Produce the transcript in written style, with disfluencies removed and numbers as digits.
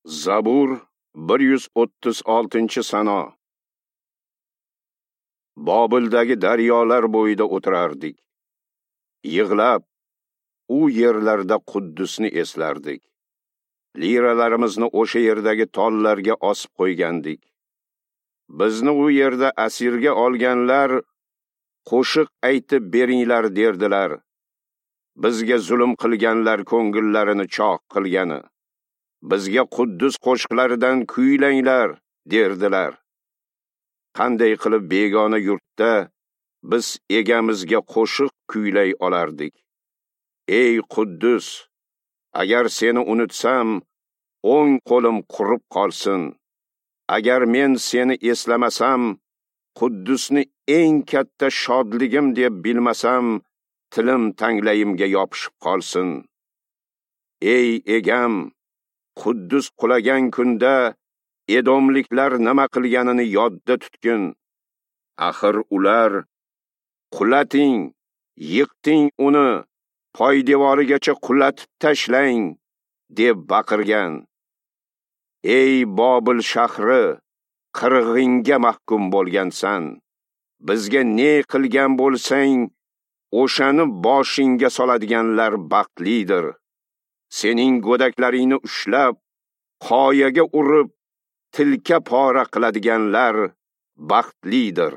Zabur 136-sano. Bobildagi daryolar bo'yida o'tirardik. Yig'lab, u yerlarda Quddusni eslardik. Liralarimizni o'sha yerdagi tollarga osib qo'ygandik. Bizni u yerda asirga olganlar qo'shiq aytib beringlar derdilar. Bizga zulm qilganlar ko'ngillarini choq qilgani. Bizga Quddus qo'shiqlaridan kuylanglar derdilar. Qanday qilib begona yurtda biz egamizga qo'shiq kuylay olardik? Ey Quddus, agar seni unutsam, o'ng qo'lim qurib qolsin. Agar men seni eslamasam, Quddusni eng katta shodligim deb bilmasam, tilim tanglayimga yopishib qolsin. Ey egam, Quddus qulagan kunda Edomliklar nima qilganini yodda tutgin. Axir ular qulating, yiqting uni, poydevorigacha qulatib tashlang deb baqirgan. Ey Bobil shahri, qirg'inga mahkum bo'lgansan. Bizga ne qilgan bo'lsang, o'shani boshingga soladiganlar baxtlidir. Sening go'daklaringni ushlab, qoyaga urib, tilka pora qiladiganlar baxtlidir.